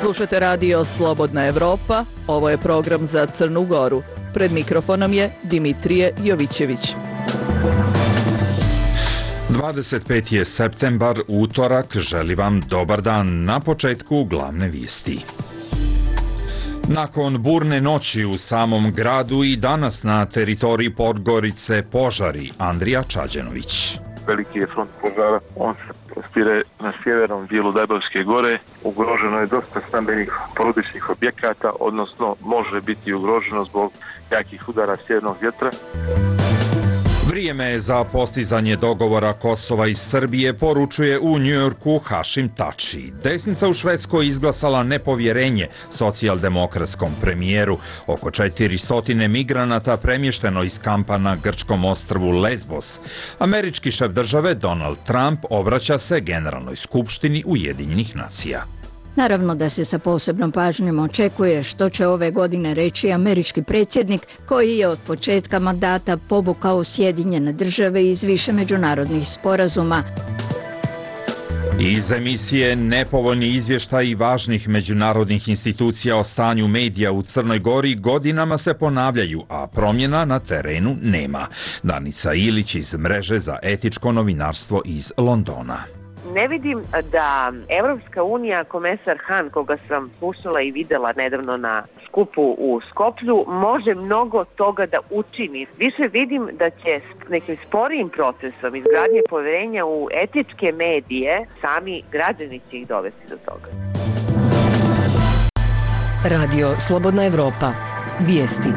Slušate radio Slobodna Evropa, ovo je program za Crnu Goru. Pred mikrofonom je Dimitrije Jovićević. 25. je septembar, utorak, želi vam dobar dan. Na početku glavne vijesti. Nakon burne noći u samom gradu i danas na teritoriji Podgorice požari. Andrija Čađenović. Veliki je front požara, on se prostire na sjevernom dijelu Dajbovske gore. Ugroženo je dosta stambenih porodičnih objekata, odnosno može biti ugroženo zbog jakih udara sjevernog vjetra. Vrijeme je za postizanje dogovora Kosova i Srbije, poručuje u Njujorku Hašim Tači. Desnica u Švedskoj izglasala nepovjerenje socijaldemokratskom premijeru. Oko 400 migranata premješteno iz kampa na grčkom ostrvu Lesbos. Američki šef države Donald Trump obraća se Generalnoj skupštini Ujedinjenih nacija. Naravno da se sa posebnom pažnjom očekuje što će ove godine reći američki predsjednik koji je od početka mandata povukao Sjedinjene države iz više međunarodnih sporazuma. Iz emisije nepovoljni izvještaji važnih međunarodnih institucija o stanju medija u Crnoj Gori godinama se ponavljaju, a promjena na terenu nema. Danica Ilić iz Mreže za etičko novinarstvo iz Londona. Ne vidim da Evropska unija, komesar Han, koga sam slušala i videla nedavno na skupu u Skoplju, može mnogo toga da učini. Više vidim da će nekim sporijim procesom izgradnje povjerenja u etičke medije sami građani će ih dovesti do toga. Radio Slobodna Evropa. Vijesti.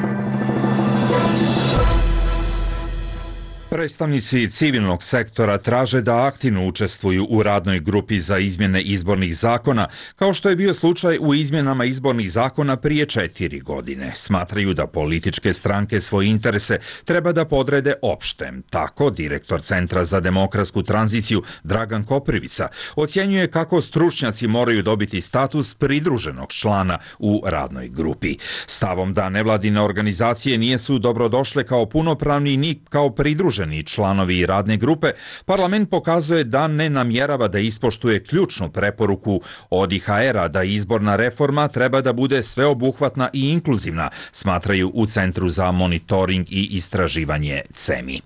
Predstavnici civilnog sektora traže da aktivno učestvuju u radnoj grupi za izmjene izbornih zakona, kao što je bio slučaj u izmjenama izbornih zakona prije 4 godine. Smatraju da političke stranke svoje interese treba da podrede opštem. Tako, direktor Centra za demokratsku tranziciju Dragan Koprivica ocjenjuje kako stručnjaci moraju dobiti status pridruženog člana u radnoj grupi. Stavom da nevladine organizacije nisu dobrodošle kao punopravni ni kao pridruženi članovi radne grupe, parlament pokazuje da ne namjerava da ispoštuje ključnu preporuku od IHR-a da izborna reforma treba da bude sveobuhvatna i inkluzivna, smatraju u Centru za monitoring i istraživanje CEMI.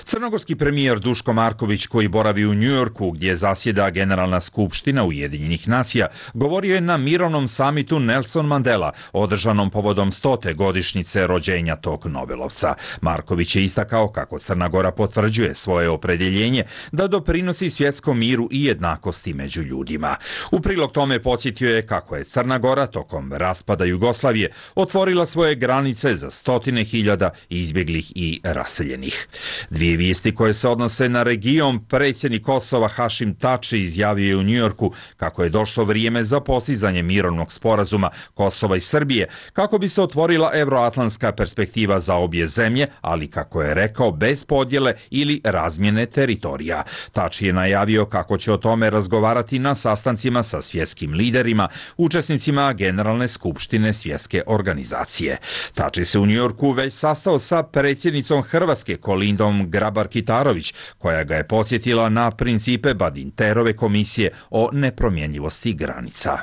Crnogorski premijer Duško Marković, koji boravi u Njujorku gdje zasjeda Generalna skupština Ujedinjenih nacija, govorio je na mirovnom samitu Nelson Mandela, održanom povodom 100. godišnjice rođenja tog Nobelovca. Marković je istakao kako Crna Gora potvrđuje svoje opredjeljenje da doprinosi svjetskom miru i jednakosti među ljudima. U prilog tome podsjetio je kako je Crna Gora tokom raspada Jugoslavije otvorila svoje granice za 100.000 izbjeglih i raseljenih. Dvije vijesti koje se odnose na region, predsjednik Kosova Hašim Tači izjavio je u Njujorku kako je došlo vrijeme za postizanje mirovnog sporazuma Kosova i Srbije kako bi se otvorila evroatlantska perspektiva za obje zemlje, ali kako je rekao bez podjele ili razmjene teritorija. Tači je najavio kako će o tome razgovarati na sastancima sa svjetskim liderima, učesnicima Generalne skupštine svjetske organizacije. Tači se u Njujorku već sastao sa predsjednicom Hrvatske Kolindom Grabar-Kitarović, koja ga je podsjetila na principe Badinterove komisije o nepromjenjivosti granica.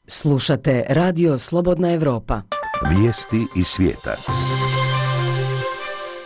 Slušate radio Slobodna Evropa. Vijesti iz svijeta.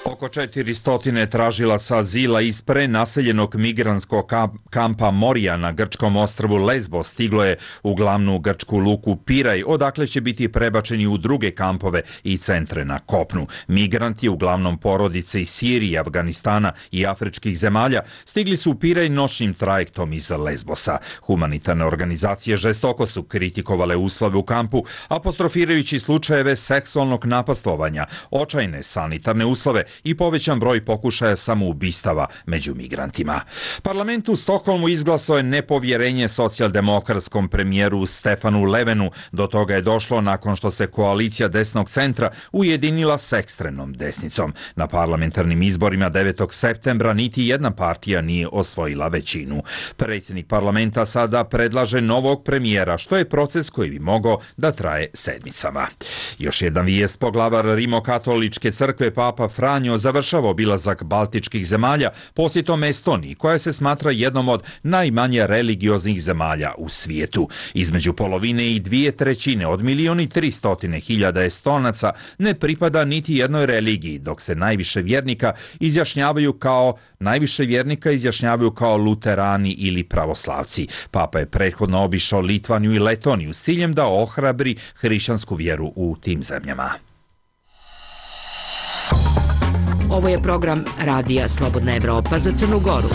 Oko 400 tražilaca azila iz prenaseljenog migrantskog kampa Morija na grčkom ostrvu Lesbos stiglo je u glavnu grčku luku Piraj, odakle će biti prebačeni u druge kampove i centre na kopnu. Migranti, uglavnom porodice iz Sirije, Afganistana i afričkih zemalja, stigli su u Piraj noćnim trajektom iz Lesbosa. Humanitarne organizacije žestoko su kritikovale uslove u kampu, apostrofirajući slučajeve seksualnog napastovanja, očajne sanitarne uslove i povećan broj pokušaja samoubistava među migrantima. Parlament u Stokholmu izglasao je nepovjerenje socijaldemokratskom premijeru Stefanu Löfvenu. Do toga je došlo nakon što se koalicija desnog centra ujedinila s ekstremnom desnicom. Na parlamentarnim izborima 9. septembra niti jedna partija nije osvojila većinu. Predsjednik parlamenta sada predlaže novog premijera, što je proces koji bi mogao da traje sedmicama. Još jedan vijest, poglavar Rimokatoličke crkve Papa Franjo Franjo završava obilazak baltičkih zemalja posjetom Estoniji, koja se smatra jednom od najmanje religioznih zemalja u svijetu. Između polovine i 2/3 od 1.300.000 Estonaca ne pripada niti jednoj religiji, dok se najviše vjernika izjašnjavaju kao luterani ili pravoslavci. Papa je prethodno obišao Litvaniju i Letoniju s ciljem da ohrabri hrišćansku vjeru u tim zemljama. Ovo je program Radija Slobodna Evropa za Crnu Goru.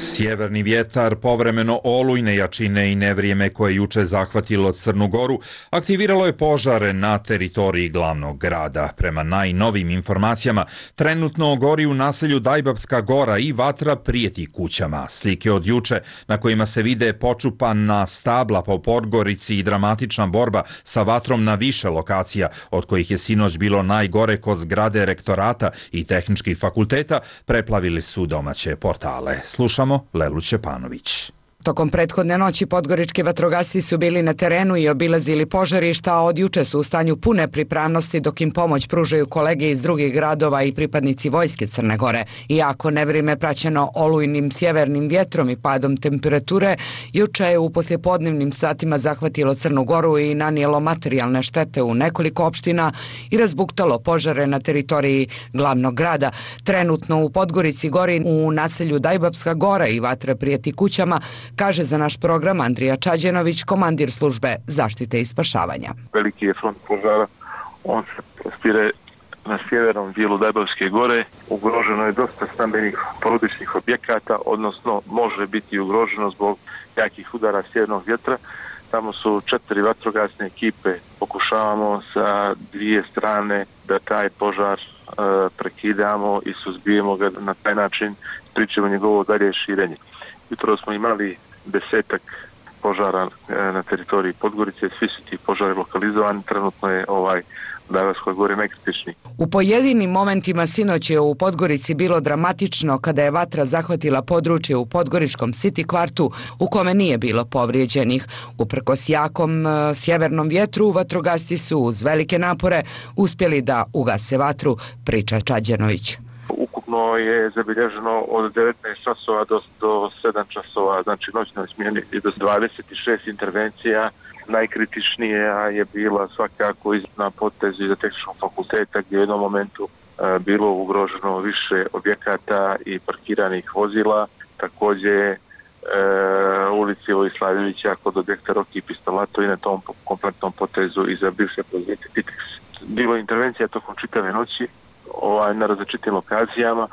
Sjeverni vjetar, povremeno olujne jačine i nevrijeme koje juče zahvatilo Crnu Goru aktiviralo je požare na teritoriji glavnog grada. Prema najnovim informacijama, trenutno gori u naselju Dajbapska gora i vatra prijeti kućama. Slike od juče na kojima se vide počupana stabla po Podgorici i dramatična borba sa vatrom na više lokacija, od kojih je sinoć bilo najgore kod zgrade rektorata i tehničkih fakulteta, preplavili su domaće portale. Slušamo Lelu Čepanović. Tokom prethodne noći podgorički vatrogasci su bili na terenu i obilazili požarišta, a od juče su u stanju pune pripravnosti dok im pomoć pružaju kolege iz drugih gradova i pripadnici vojske Crne Gore. Iako nevrijeme praćeno olujnim sjevernim vjetrom i padom temperature, juče je u poslijepodnevnim satima zahvatilo Crnu Goru i nanijelo materijalne štete u nekoliko opština i razbuktalo požare na teritoriji glavnog grada. Trenutno u Podgorici gori u naselju Dajbapska gora i vatra prijeti kućama, kaže za naš program Andrija Čađenović, komandir službe zaštite i spašavanja. Veliki je front požara, on se prostire na sjevernom dijelu Dajbapske gore. Ugroženo je dosta stambenih porodičnih objekata, odnosno može biti ugroženo zbog jakih udara sjevernog vjetra. Tamo su 4 vatrogasne ekipe, pokušavamo sa dvije strane da taj požar prekidamo i suzbijemo ga, na taj način spriječimo njegovo dalje širenje. Jutro smo imali 10 požara na teritoriji Podgorice, svi su ti požari lokalizovani, trenutno je Dajbapskoj gori najkritičniji. U pojedinim momentima sinoć je u Podgorici bilo dramatično kada je vatra zahvatila područje u podgoričkom City kvartu u kome nije bilo povrijeđenih. Uprkos jakom sjevernom vjetru, vatrogasci su uz velike napore uspjeli da ugase vatru, priča Čađenović. Ukupno je zabilježeno od 19 časova do 7 časova, znači noćnoj smjeni, i do 26 intervencija. Najkritičnija je bila svakako na potezu iza tehničkog fakulteta, gdje je u jednom momentu bilo ugroženo više objekata i parkiranih vozila. Također ulici Vojislavića kod objekta Roki i Pistolato i na tom kompletnom potezu iza bivše pozicije Titex. Bilo je intervencija tokom čitave noći na različitim lokacijama.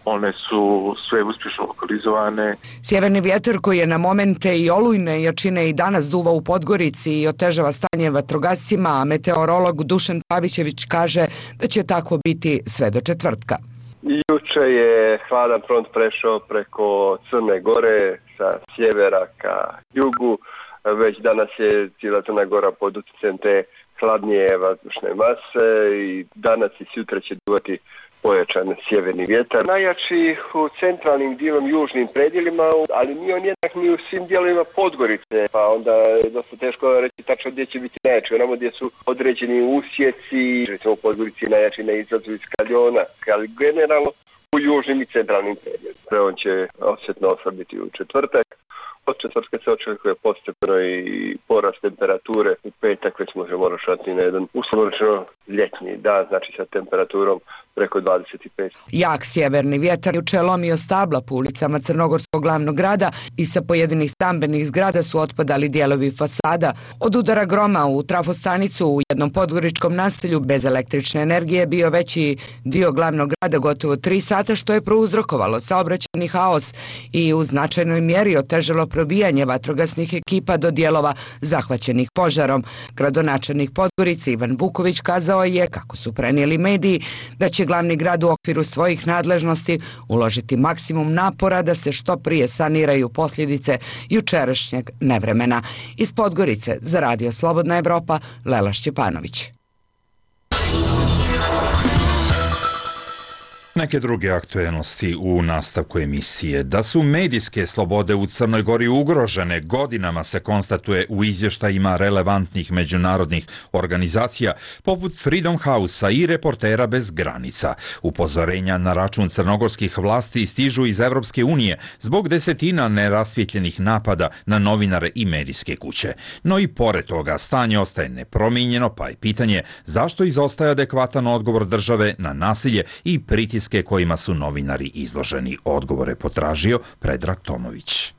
One su sve uspješno lokalizovane. Sjeverni vjetar koji je na momente i olujne jačine i danas duva u Podgorici i otežava stanje vatrogascima, a meteorolog Dušan Pavićević kaže da će tako biti sve do četvrtka. Juče je hladan front prešao preko Crne Gore sa sjevera ka jugu. Već danas je cijela Crna Gora pod utjecajem te hladnije vazdušne mase i danas i sutra će duvati pojačan sjeverni vjetar. Najjači u centralnim dijelom južnim predjelima, ali nije on jednak ni u svim dijelovima Podgorice, pa onda je dosta teško reći tačno gdje će biti najjači. Onamo gdje su određeni usjeci, recimo u Podgorici najjači na izlazu iz Kaljona, ali generalno u južnim i centralnim predjelima. On će osjetno oslabiti u četvrtak. Od četvrtka se očekuje postepeno i porast temperature. U petak već možemo računati na jedan uslovno ljetni dan, znači sa temperaturom preko 25. Jak sjeverni vjetar juče lomio stabla po ulicama Crnogorskog glavnog grada i sa pojedinih stambenih zgrada su otpadali dijelovi fasada. Od udara groma u trafostanicu u jednom podgoričkom naselju bez električne energije bio veći dio glavnog grada gotovo 3 sata, što je prouzrokovalo saobraćajni haos i u značajnoj mjeri otežalo probijanje vatrogasnih ekipa do dijelova zahvaćenih požarom. Gradonačelnik Podgorice Ivan Vuković kazao je, kako su prenijeli mediji, da će glavni grad u okviru svojih nadležnosti uložiti maksimum napora da se što prije saniraju posljedice jučerašnjeg nevremena. Iz Podgorice za Radio Slobodna Evropa, Lela Šćepanović. Neke druge aktuelnosti u nastavku emisije. Da su medijske slobode u Crnoj Gori ugrožene godinama se konstatuje u izvještajima relevantnih međunarodnih organizacija poput Freedom House-a i Reportera bez granica. Upozorenja na račun crnogorskih vlasti stižu iz Evropske unije zbog desetina nerasvjetljenih napada na novinare i medijske kuće. No i pored toga stanje ostaje nepromijenjeno, pa je pitanje zašto izostaje adekvatan odgovor države na nasilje i pritiske kojima su novinari izloženi. Odgovore potražio Predrag Tomović.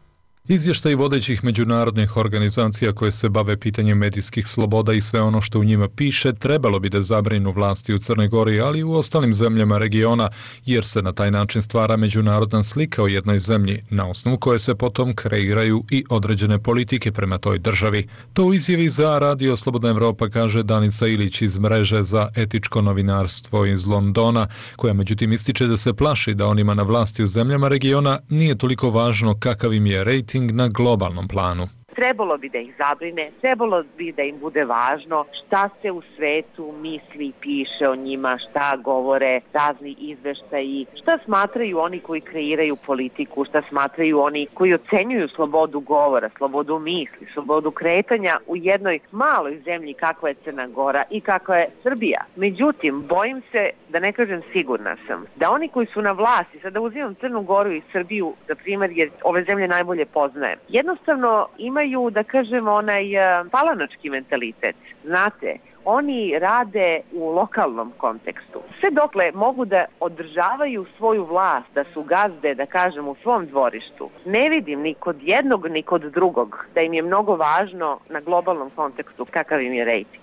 Izvještaj vodećih međunarodnih organizacija koje se bave pitanjem medijskih sloboda i sve ono što u njima piše trebalo bi da zabrinu vlasti u Crnoj Gori, ali i u ostalim zemljama regiona, jer se na taj način stvara međunarodna slika o jednoj zemlji, na osnovu koje se potom kreiraju i određene politike prema toj državi. To u izjavi za Radio Slobodna Evropa kaže Danica Ilić iz mreže za etičko novinarstvo iz Londona, koja međutim ističe da se plaši da onima na vlasti u zemljama regiona nije toliko važno kakav im je rejting na globalnom planu. Trebalo bi da ih zabrine, trebalo bi da im bude važno šta se u svetu misli i piše o njima, šta govore razni izveštaji, šta smatraju oni koji kreiraju politiku, šta smatraju oni koji ocenjuju slobodu govora, slobodu misli, slobodu kretanja u jednoj maloj zemlji kakva je Crna Gora i kakva je Srbija. Međutim, bojim se, da ne kažem sigurna sam, da oni koji su na vlasti, sada uzimam Crnu Goru i Srbiju za primjer jer ove zemlje najbolje poznajem, jednostavno imaju, da kažem, onaj palanački mentalitet. Znate, oni rade u lokalnom kontekstu. Sve dokle mogu da održavaju svoju vlast, da su gazde, da kažem, u svom dvorištu, ne vidim ni kod jednog ni kod drugog da im je mnogo važno na globalnom kontekstu kakav im je rejting.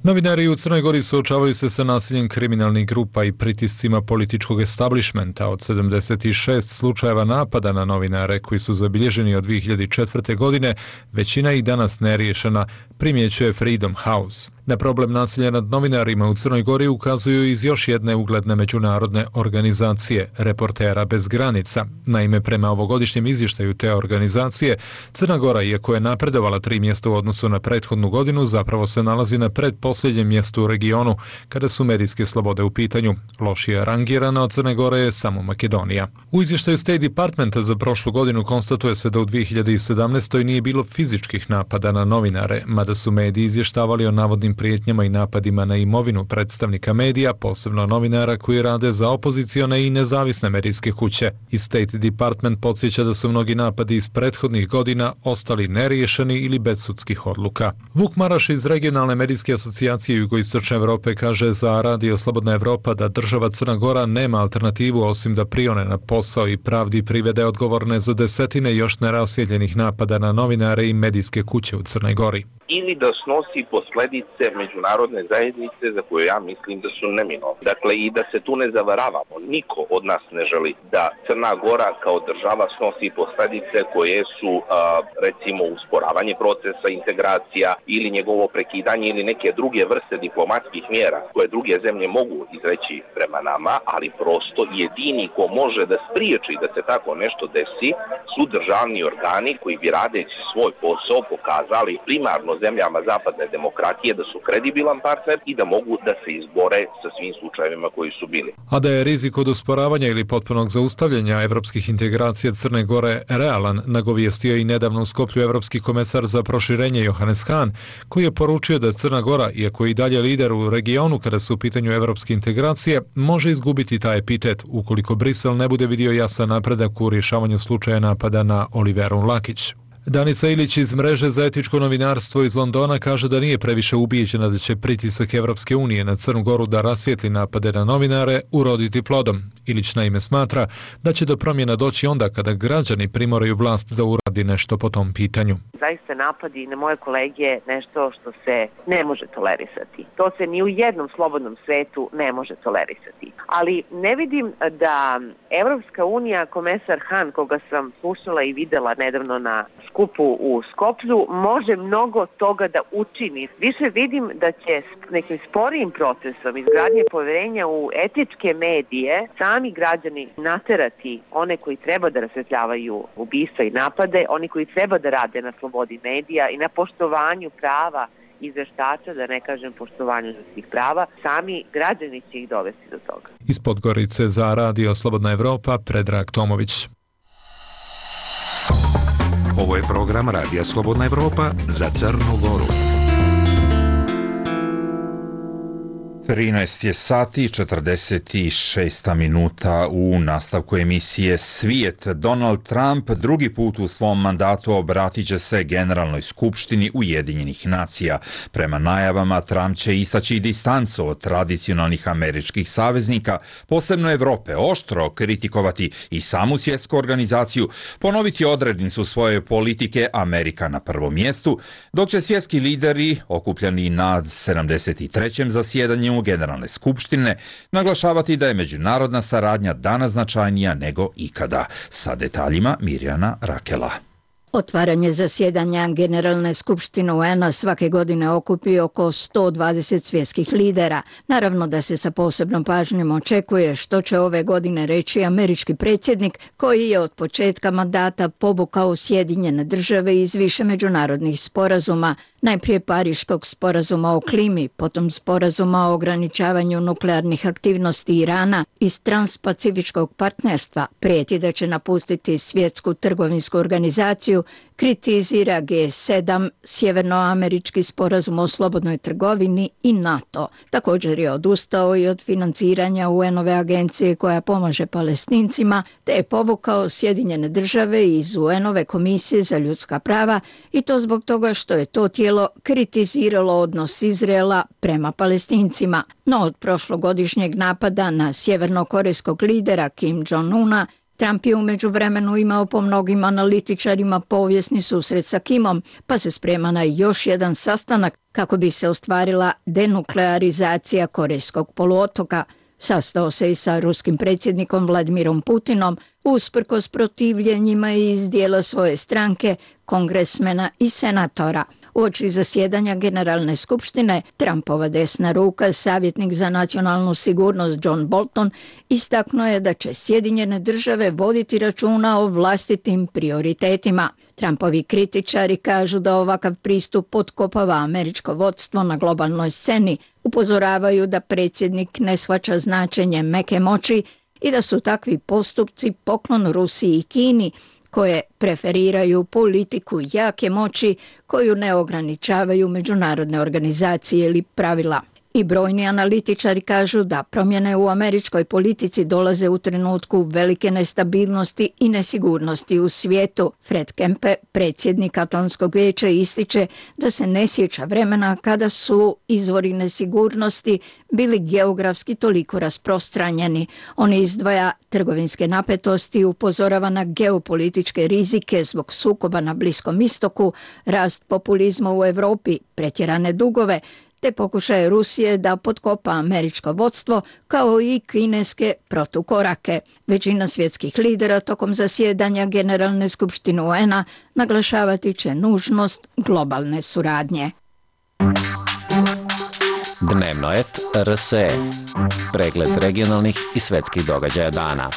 Novinari u Crnoj Gori suočavaju se sa nasiljem kriminalnih grupa i pritiscima političkog establishmenta. Od 76 slučajeva napada na novinare koji su zabilježeni od 2004. godine, većina i danas neriješena, primjećuje Freedom House. Na problem nasilja nad novinarima u Crnoj Gori ukazuju iz još jedne ugledne međunarodne organizacije, Reportera bez granica. Naime, prema ovogodišnjem izvještaju te organizacije, Crna Gora, iako je napredovala 3 mjesta u odnosu na prethodnu godinu, zapravo se nalazi na predposljednjem mjestu u regionu kada su medijske slobode u pitanju. Lošije rangirana od Crne Gore je samo Makedonija. U izvještaju State Departmenta za prošlu godinu konstatuje se da u 2017. nije bilo fizičkih napada na novinare, mada su mediji izvještavali o navodnim prijetnjama i napadima na imovinu predstavnika medija, posebno novinara koji rade za opozicione i nezavisne medijske kuće. I State Department podsjeća da su mnogi napadi iz prethodnih godina ostali neriješeni ili bez sudskih odluka. Vuk Maraš iz regionalne medijske asocijacije Jugoistočne Evrope kaže za Radio Slobodna Evropa da država Crna Gora nema alternativu osim da prione na posao i pravdi privede odgovorne za desetine još nerasvjetljenih napada na novinare i medijske kuće u Crnoj Gori. Ili da snosi posljedice međunarodne zajednice za koje ja mislim da su neminovne. Dakle, i da se tu ne zavaravamo. Niko od nas ne želi da Crna Gora kao država snosi posljedice koje su, recimo, usporavanje procesa integracija ili njegovo prekidanje ili neke druge vrste diplomatskih mjera koje druge zemlje mogu izreći prema nama, ali prosto jedini ko može da spriječi da se tako nešto desi su državni organi koji bi radeći svoj posao pokazali primarno zemljama zapadne demokratije da su kredibilan partner i da mogu da se izbore sa svim slučajevima koji su bili. A da je rizik od usporavanja ili potpunog zaustavljanja evropskih integracija Crne Gore realan, nagovijestio i nedavno u Skoplju evropski komesar za proširenje Johannes Hahn, koji je poručio da Crna Gora, iako je i dalje lider u regionu kada su u pitanju evropske integracije, može izgubiti taj epitet ukoliko Brisel ne bude vidio jasan napredak u rješavanju slučaja napada na Oliveru Lakić. Danica Ilić iz mreže za etičko novinarstvo iz Londona kaže da nije previše ubijeđena da će pritisak Evropske unije na Crnu Goru da rasvijetli napade na novinare uroditi plodom. Ilić naime smatra da će do promjena doći onda kada građani primoraju vlast da uradi nešto po tom pitanju. Zaista napadi na moje kolege nešto što se ne može tolerisati. To se ni u jednom slobodnom svetu ne može tolerisati. Ali ne vidim da Evropska unija, komesar Hahn, koga sam slušala i videla nedavno na skupu u Skoplju, može mnogo toga da učini. Više vidim da će nekim sporijim procesom izgradnje poverenja u etičke medije sami građani naterati one koji treba da rasvetljavaju ubistva i napade, oni koji treba da rade na slobodi medija i na poštovanju prava izveštača, da ne kažem poštovanju ljudskih prava, sami građani će ih dovesti do toga. Iz Podgorice za Radio Slobodna Evropa, Predrag Tomović. Ovo je program Radija Slobodna Evropa za Crnu Goru. 13 je sati, 46 minuta u nastavku emisije Svijet. Donald Trump drugi put u svom mandatu obratit će se Generalnoj skupštini Ujedinjenih nacija. Prema najavama, Trump će istaći distancu od tradicionalnih američkih saveznika, posebno Evrope, oštro kritikovati i samu svjetsku organizaciju, ponoviti odrednicu svoje politike Amerika na prvom mjestu, dok će svjetski lideri, okupljeni na 73. zasjedanju Generalne skupštine, naglašavati da je međunarodna saradnja danas značajnija nego ikada. Sa detaljima Mirjana Rakela. Otvaranje zasjedanja Generalne skupštine UN-a svake godine okupi oko 120 svjetskih lidera. Naravno da se sa posebnom pažnjom očekuje što će ove godine reći američki predsjednik koji je od početka mandata povukao Sjedinjene države iz više međunarodnih sporazuma, najprije Pariškog sporazuma o klimi, potom sporazuma o ograničavanju nuklearnih aktivnosti Irana iz Transpacifičkog partnerstva, prijeti da će napustiti Svjetsku trgovinsku organizaciju, kritizira G7, Sjevernoamerički sporazum o slobodnoj trgovini i NATO. Također je odustao i od financiranja UN-ove agencije koja pomaže Palestincima, te je povukao Sjedinjene države iz UN-ove komisije za ljudska prava i to zbog toga što je to tijelo kritiziralo odnos Izraela prema Palestincima. No od prošlogodišnjeg napada na sjevernokorejskog lidera Kim Jong-una, Trump je u međuvremenu imao po mnogim analitičarima povijesni susret sa Kimom, pa se sprema na još jedan sastanak kako bi se ostvarila denuklearizacija Korejskog poluotoka. Sastao se i sa ruskim predsjednikom Vladimirom Putinom, usprkos protivljenjima iz dijela svoje stranke, kongresmena i senatora. Uoči zasjedanja Generalne skupštine, Trumpova desna ruka, savjetnik za nacionalnu sigurnost John Bolton, istaknuo je da će Sjedinjene države voditi računa o vlastitim prioritetima. Trumpovi kritičari kažu da ovakav pristup potkopava američko vodstvo na globalnoj sceni, upozoravaju da predsjednik ne shvaća značenje meke moći i da su takvi postupci poklon Rusiji i Kini, koje preferiraju politiku jake moći koju ne ograničavaju međunarodne organizacije ili pravila. I brojni analitičari kažu da promjene u američkoj politici dolaze u trenutku velike nestabilnosti i nesigurnosti u svijetu. Fred Kempe, predsjednik Atlantskog vijeća, ističe da se ne sjeća vremena kada su izvori nesigurnosti bili geografski toliko rasprostranjeni. On izdvaja trgovinske napetosti i upozorava na geopolitičke rizike zbog sukoba na Bliskom istoku, rast populizma u Europi, pretjerane dugove, te pokušaje Rusije da potkopa američko vodstvo kao i kineske protukorake. Većina svjetskih lidera tokom zasjedanja Generalne skupštine UN-a naglašavati će nužnost globalne suradnje. Dnevnoet RSE. Pregled regionalnih i svetskih događaja dana.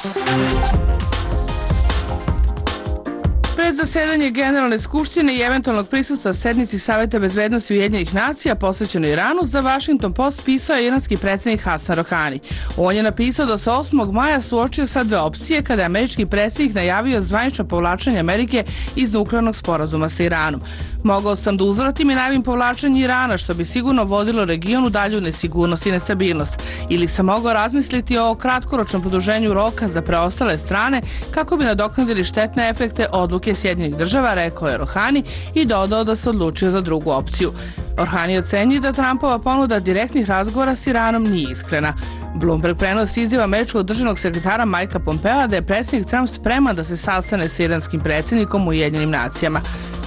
Pred zasedanje Generalne skupštine i eventualnog prisutstva sednici Saveta bezbednosti Ujedinjenih nacija posvećeno Iranu, za Washington Post pisao je iranski predsjednik Hasan Rohani. On je napisao da se 8. maja suočio sa dve opcije kada je američki predsjednik najavio zvanično povlačenje Amerike iz nuklearnog sporazuma sa Iranom. Mogao sam da uzvratim i najavim povlačenje Irana, što bi sigurno vodilo regionu dalju nesigurnost i nestabilnost. Ili sam mogao razmisliti o kratkoročnom produženju roka za preostale strane kako bi nadoknadili štetne efekte odluke Sjedinjenih država, rekao je Rohani i dodao da se odlučio za drugu opciju. Rohani ocenjuje da Trumpova ponuda direktnih razgovora s Iranom nije iskrena. Bloomberg prenosi izjava američkog državnog sekretara Mikea Pompea da je predsjednik Trump spreman da se sastane s iranskim predsjednikom u Ujedinjenim nacijama.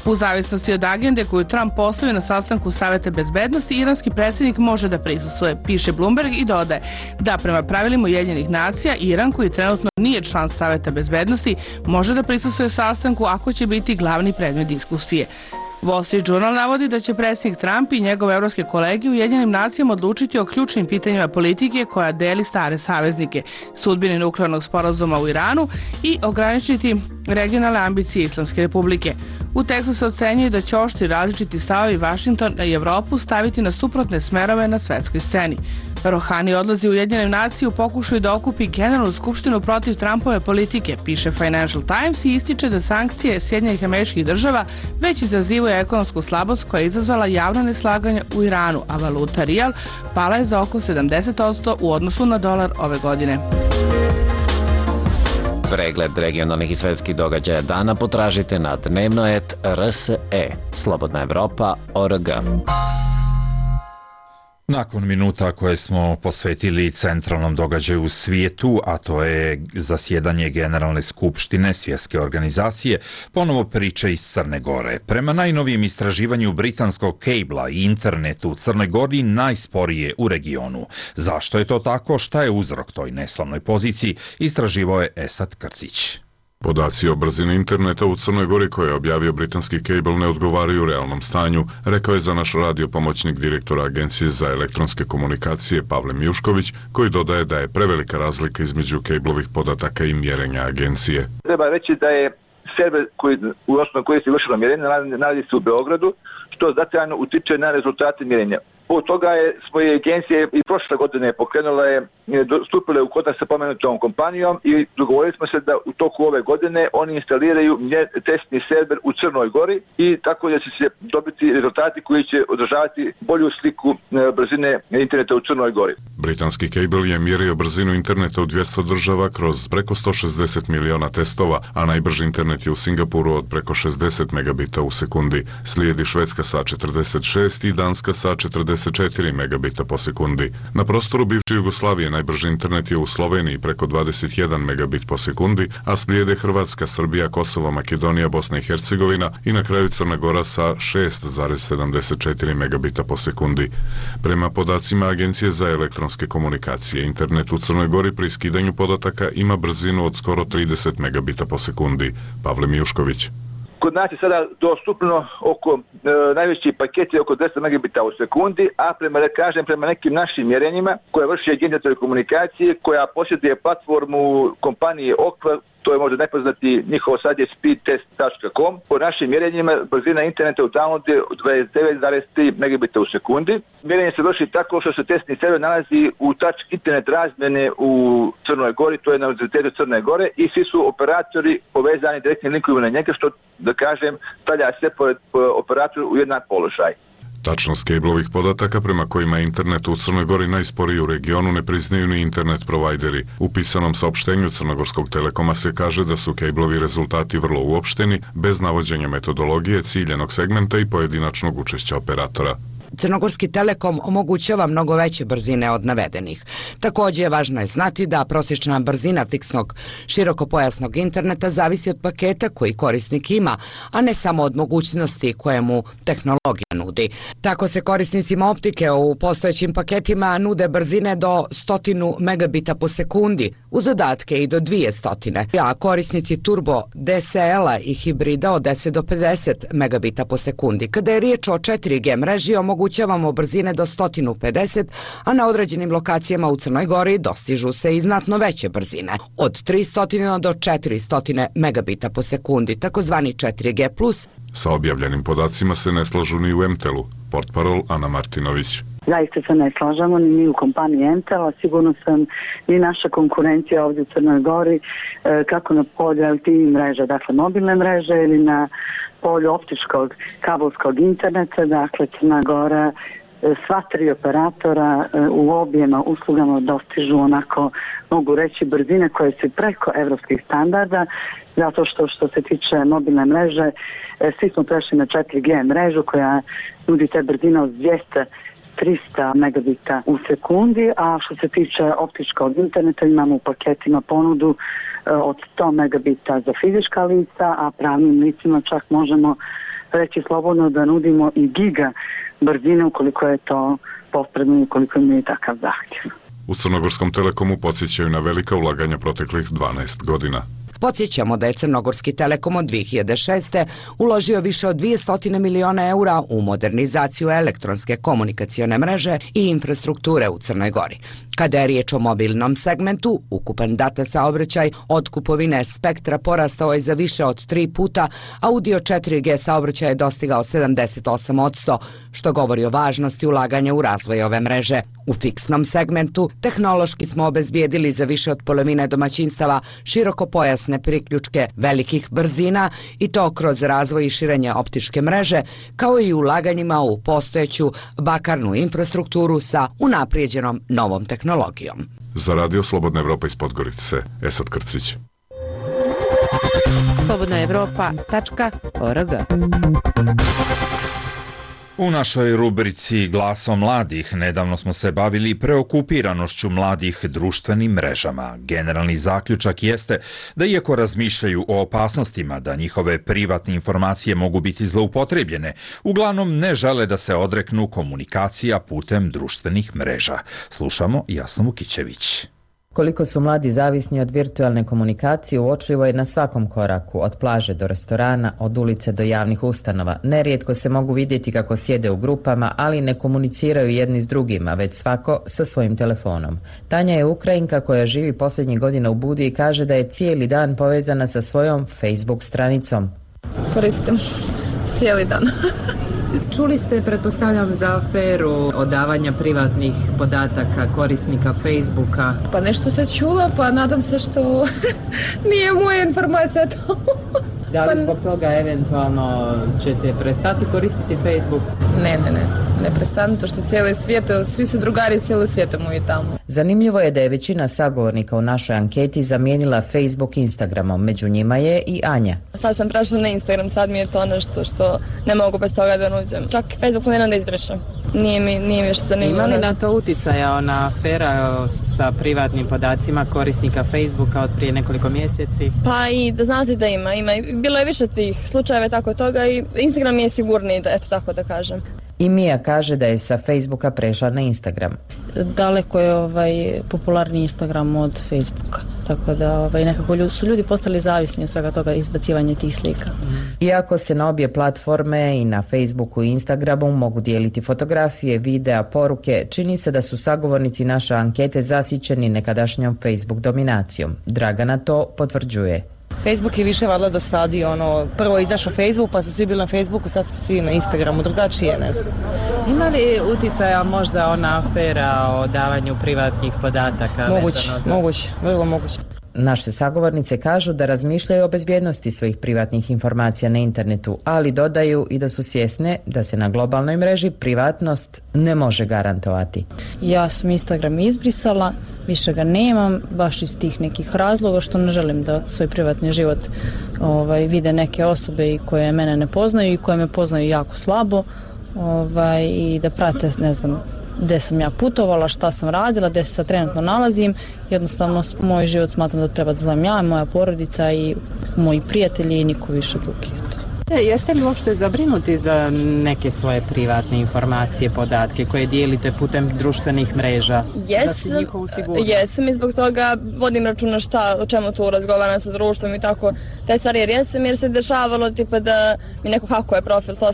U zavisnosti od agende koju Trump postavio na sastanku Saveta bezbednosti, iranski predsjednik može da prisustvuje, piše Bloomberg i dodaje da prema pravilima Ujedinjenih nacija, Iran, koji trenutno nije član Saveta bezbednosti, može da prisustvuje sastanku ako će biti glavni predmet diskusije. Wall Street Journal navodi da će predsjednik Trump i njegove evropske kolege u Ujedinjenim nacijama odlučiti o ključnim pitanjima politike koja deli stare saveznike, sudbini nuklearnog sporazuma u Iranu i ograničiti regionalne ambicije Islamske republike. U tekstu se ocenjuje da će oštri različiti stavovi Vašingtona i Evropu staviti na suprotne smerove na svetskoj sceni. Rohani odlazi u Ujedinjene nacije u pokušaju da okupi Generalnu skupštinu protiv Trumpove politike, piše Financial Times i ističe da sankcije Sjedinjenih Američkih Država već izazivaju ekonomsku slabost koja je izazvala javno neslaganje u Iranu, a valuta rijal pala je za oko 70% u odnosu na dolar ove godine. Pregled regionalnih i svetskih događaja dana potražite na dnevno.rse, slobodnaevropa.org. Nakon minuta koje smo posvetili centralnom događaju u svijetu, a to je zasjedanje Generalne skupštine Svjetske organizacije, ponovo priče iz Crne Gore. Prema najnovijem istraživanju britanskog kejbla i internetu u Crnoj Gori najsporije u regionu. Zašto je to tako? Šta je uzrok toj neslavnoj poziciji? Istraživao je Esad Krcić. Podaci o brzini interneta u Crnoj Gori koje je objavio britanski kejbl ne odgovaraju realnom stanju, rekao je za naš radio pomoćnik direktora Agencije za elektronske komunikacije Pavle Mijušković, koji dodaje da je prevelika razlika između kejblovih podataka i mjerenja agencije. Treba reći da je server u osnovu koji se vršilo mjerenje nalazi se u Beogradu, što značajno utiče na rezultate mjerenja. Od toga je svoje agencije i prošle godine pokrenula stupile u kontakt sa pomenutom kompanijom i dogovorili smo se da u toku ove godine oni instaliraju testni server u Crnoj Gori i tako da će se dobiti rezultati koji će održavati bolju sliku brzine interneta u Crnoj Gori. Britanski kejbl je mjerio brzinu interneta u 200 država kroz preko 160 miliona testova, a najbrži internet je u Singapuru od preko 60 megabita u sekundi. Slijedi Švedska sa 46 i Danska sa 44 megabita po sekundi. Na prostoru bivše Jugoslavije najbrži internet je u Sloveniji preko 21 megabit po sekundi, a slijede Hrvatska, Srbija, Kosovo, Makedonija, Bosna i Hercegovina i na kraju Crna Gora sa 6,74 megabita po sekundi. Prema podacima Agencije za elektronske komunikacije, internet u Crnoj Gori pri skidanju podataka ima brzinu od skoro 30 megabita po sekundi. Pavle Mijušković. Kod nas je sada dostupno najveći paket je oko 200 megabita u sekundi, a prema nekim našim mjerenjima koje vrši Agencija telekomunikacije koja posjeduje platformu kompanije Okva, to je možda nepoznati njihov sad je speedtest.com. Po našim mjerenjima brzina interneta u downloadu je 29,3 megabita u sekundi. Mjerenje se vrši tako što se testni server nalazi u touch internet razmjene u Crnoj Gori, to je na Univerzitetu Crne Gore i svi su operatori povezani direktnim linkovima na njega, što da kažem stavlja sve operator u jednak položaj. Tačnost kejblovih podataka prema kojima je internet u Crnoj Gori najsporiji u regionu ne priznaju ni internet provajderi. U pisanom saopštenju Crnogorskog telekoma se kaže da su kejblovi rezultati vrlo uopšteni, bez navođenja metodologije, ciljenog segmenta i pojedinačnog učešća operatora. Crnogorski telekom omogućava mnogo veće brzine od navedenih. Također važno je znati da prosječna brzina fiksnog širokopojasnog interneta zavisi od paketa koji korisnik ima, a ne samo od mogućnosti koje mu tehnologija nudi. Tako se korisnicima optike u postojećim paketima nude brzine do 100 megabita po sekundi, uz dodatke i do 200, a korisnici turbo DSL-a i hibrida od 10 do 50 megabita po sekundi. Kada je riječ o 4G mreži, omogućavamo brzine do 150, a na određenim lokacijama u Crnoj Gori dostižu se i znatno veće brzine, od 300 do 400 megabita po sekundi, takozvani 4G+. Sa objavljenim podacima se ne slažu ni u MTEL-u, portparol Ana Martinović. Zaista se ne slažemo ni u kompaniji MTEL, a sigurno sam i naša konkurencija ovdje u Crnoj Gori, kako na polju LTE mreže, dakle mobilne mreže ili na polju optičkog kabelskog interneta, dakle Crna Gora, sva tri operatora u objema uslugama dostižu onako, mogu reći, brzine koje su preko evropskih standarda, zato što se tiče mobilne mreže, svi smo prešli na 4G mrežu koja nudi te brzine od 300 megabita u sekundi, a što se tiče optičkog interneta imamo u paketima ponudu od 100 megabita za fizička lica, a pravnim licima čak možemo reći slobodno da nudimo i giga brzine ukoliko je to potrebno i ukoliko imaju takav zahtjev. U Crnogorskom telekomu podsjećaju na velika ulaganja proteklih 12 godina. Podsjećamo da je Crnogorski Telekom od 2006. uložio više od 200 miliona eura u modernizaciju elektronske komunikacione mreže i infrastrukture u Crnoj Gori. Kada je riječ o mobilnom segmentu, ukupan data saobraćaj od kupovine spektra porastao je za više od 3 puta, a udio 4G saobraćaja je dostigao 78%, što govori o važnosti ulaganja u razvoj ove mreže. U fiksnom segmentu tehnološki smo obezbijedili za više od polovine domaćinstava širokopojasne priključke velikih brzina i to kroz razvoj i širenje optičke mreže, kao i ulaganjima u postojeću bakarnu infrastrukturu sa unaprijeđenom novom tehnologijom. Za Radio Slobodna Evropa iz Podgorice, Esad Krcić. slobodnaevropa.org. U našoj rubrici Glasom mladih nedavno smo se bavili preokupiranošću mladih društvenim mrežama. Generalni zaključak jeste da iako razmišljaju o opasnostima da njihove privatne informacije mogu biti zloupotrebljene, uglavnom ne žele da se odreknu komunikacija putem društvenih mreža. Slušamo Jasnu Vukićević. Koliko su mladi zavisni od virtualne komunikacije uočljivo je na svakom koraku, od plaže do restorana, od ulice do javnih ustanova. Nerijetko se mogu vidjeti kako sjede u grupama, ali ne komuniciraju jedni s drugima, već svako sa svojim telefonom. Tanja je Ukrajinka koja živi posljednjih godina u Budvi i kaže da je cijeli dan povezana sa svojom Facebook stranicom. Koristim cijeli dan. Čuli ste, pretpostavljam, za aferu odavanja privatnih podataka korisnika Facebooka. Pa nešto se čula, pa nadam se što nije moja informacija to. Da li zbog toga eventualno ćete prestati koristiti Facebook? Ne prestanu, to što cijeli svijet, svi su drugari cijeli svijetom i tamo. Zanimljivo je da je većina sagovornika u našoj anketi zamijenila Facebook Instagramom, među njima je i Anja. Sad sam prešla na Instagram, sad mi je to nešto što ne mogu bez toga da nuđem. Čak Facebook ne da izbrišem. Nije mi još zanimljivo. Ima li na to utjecaja ona afera sa privatnim podacima korisnika Facebooka od prije nekoliko mjeseci? Pa i da znate da ima. Bilo je više tih slučajeva tako toga i Instagram je sigurniji, da, eto tako da kažem. I Mija kaže da je sa Facebooka prešla na Instagram. Daleko je popularniji Instagram od Facebooka. Tako da nekako su ljudi postali zavisni od svega toga, izbacivanja tih slika. Iako se na obje platforme i na Facebooku i Instagramu mogu dijeliti fotografije, videa, poruke, čini se da su sagovornici naše ankete zasićeni nekadašnjom Facebook dominacijom. Dragana to potvrđuje. Facebook je više valjda dosadio, prvo je izašao Facebook, pa su svi bili na Facebooku, sad su svi na Instagramu, drugačije, ne znam. Ima li utjecaja možda ona afera o davanju privatnih podataka? Moguće, vrlo moguće. Naše sagovornice kažu da razmišljaju o bezbjednosti svojih privatnih informacija na internetu, ali dodaju i da su svjesne da se na globalnoj mreži privatnost ne može garantovati. Ja sam Instagram izbrisala, više ga nemam, baš iz tih nekih razloga što ne želim da svoj privatni život vide neke osobe i koje mene ne poznaju i koje me poznaju jako slabo i da prate, ne znam, gdje sam ja putovala, šta sam radila, gdje se sad trenutno nalazim. Jednostavno, moj život smatram da treba da znam ja, moja porodica i moji prijatelji i niko više drugi. Jeste li uopšte zabrinuti za neke svoje privatne informacije, podatke koje dijelite putem društvenih mreža? Jesam i zbog toga vodim računa o čemu tu razgovaram sa društvom i tako te stvari, jer se dešavalo tipa da mi neko hakuje profil, to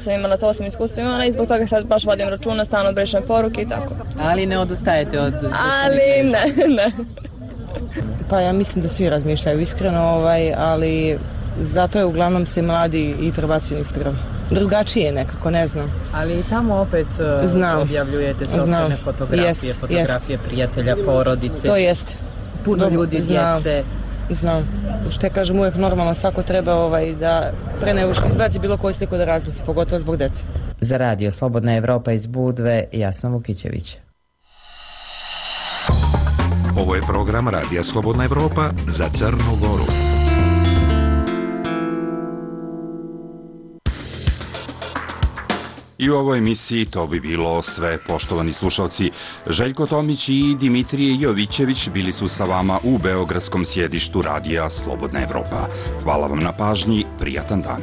sam iskustvo imala i zbog toga sad baš vodim računa, stalno brišem poruke i tako. Ali ne odustajete od... Ali ne. Pa ja mislim da svi razmišljaju iskreno, ali... Zato je uglavnom se mladi i prebacuju Instagram. Drugačije nekako, ne znam. Ali tamo opet objavljujete sopstvene fotografije, fotografije prijatelja, porodice. To jest. Puno ljudi, djece. Znam. Što ja kažem, uvijek normalno svako treba da pre nego što izbaci bilo koju sliku da razmisli, pogotovo zbog djece. Za Radio Slobodna Evropa iz Budve, Jasna Vukićević. Ovo je program Radija Slobodna Evropa za Crnu Goru. I u ovoj emisiji to bi bilo sve, poštovani slušalci. Željko Tomić i Dimitrije Jovićević bili su sa vama u beogradskom sjedištu Radija Slobodna Evropa. Hvala vam na pažnji, prijatan dan.